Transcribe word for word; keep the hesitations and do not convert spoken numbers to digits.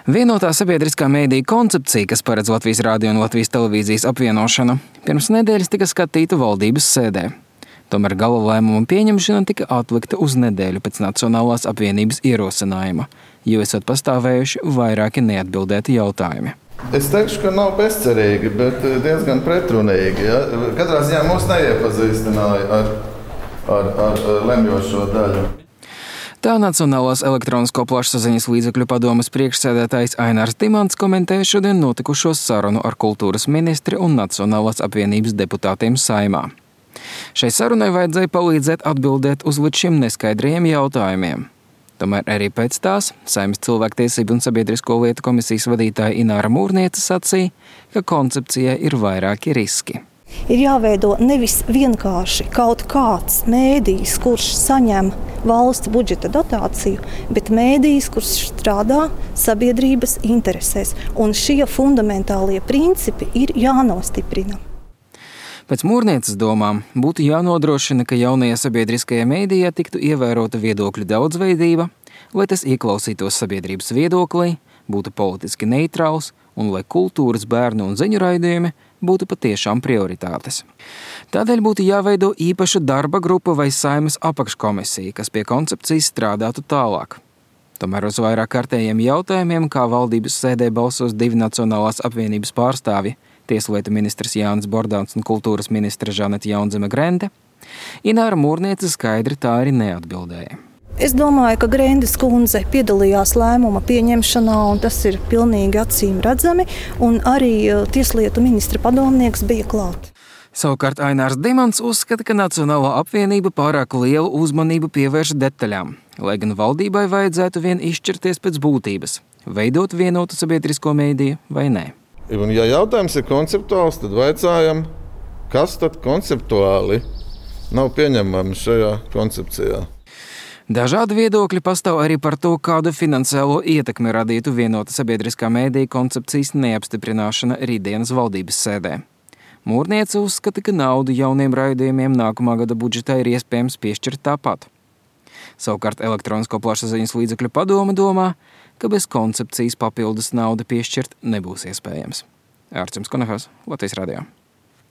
Vienotā sabiedriskā mēdīja koncepcija, kas paredz Latvijas radio un Latvijas televīzijas apvienošanu, pirms nedēļas tika skatīta valdības sēdē. Tomēr gala lēmuma pieņemšana tika atlikta uz nedēļu pēc Nacionālās apvienības ierosinājuma, jo esot pastāvējuši vairāki neatbildēti jautājumi. Es teikšu, ka nav bezcerīgi, bet diezgan pretrunīgi. Ja? Katrā ziņā mūs neiepazīstināja ar, ar, ar lemjošo daļu. Tā Nacionālās elektronisko plašsaziņas līdzekļu padomes priekšsēdētājs Ainārs Dimants komentēja šodien notikušo sarunu ar kultūras ministri un Nacionālās apvienības deputātiem Saeimā. Šai sarunai vajadzēja palīdzēt atbildēt uz līdz šim neskaidrajiem jautājumiem. Tomēr arī pēc tās Saeimas cilvēktiesību un sabiedrisko lietu komisijas vadītāja Ināra Mūrniece sacīja, ka koncepcijai ir vairāki riski. Ir jāveido nevis vienkārši kaut kāds mēdījis, kurš saņem valsts budžeta dotāciju, bet mēdījis, kurš strādā sabiedrības interesēs. Un šie fundamentālie principi ir jānostiprina. Pēc Mūrnieces domām būtu jānodrošina, ka jaunajā sabiedriskajā mēdījā tiktu ievērota viedokļu daudzveidība, lai tas ieklausītos sabiedrības viedoklī, būtu politiski neitrāls un lai kultūras, bērnu un ziņu raidījumi būtu patiešām prioritātes. Tādēļ būtu jāveido īpaša darba grupa vai Saeimas apakškomisija, kas pie koncepcijas strādātu tālāk. Tomēr uz vairāk kārtējiem jautājumiem, kā valdības sēdē balsos divi Nacionālās apvienības pārstāvji, Tieslietu ministrs Jānis Bordāns un kultūras ministre Žaneta Jaunzeme Grende, Ināra Mūrniece skaidri tā arī neatbildēja. Es domāju, ka Grendes kundze piedalījās lēmuma pieņemšanā, un tas ir pilnīgi acīm redzami, un arī Tieslietu ministra padomnieks bija klāt. Savukārt Ainārs Dimants uzskata, ka Nacionālā apvienība pārāk lielu uzmanību pievērš detaļām, lai gan valdībai vajadzētu vien izšķirties pēc būtības, veidot vienotu sabiedrisko mēdīju vai nē. Un, ja jautājums ir konceptuāls, tad vaicājam, kas tad konceptuāli nav pieņemami šajā koncepcijā. Dažādi viedokļi pastāv arī par to, kādu finansiālo ietekmi radītu vienota sabiedriskā mēdīja koncepcijas neapstiprināšana rītdienas valdības sēdē. Mūrniece uzskata, ka naudu jauniem raidījumiem nākamā gada budžetā ir iespējams piešķirt tāpat. Savukārt elektronisko plašsaziņas līdzekļu padome domā, ka bez koncepcijas papildus naudu piešķirt nebūs iespējams. Ārčuns Konehas, Latvijas radio.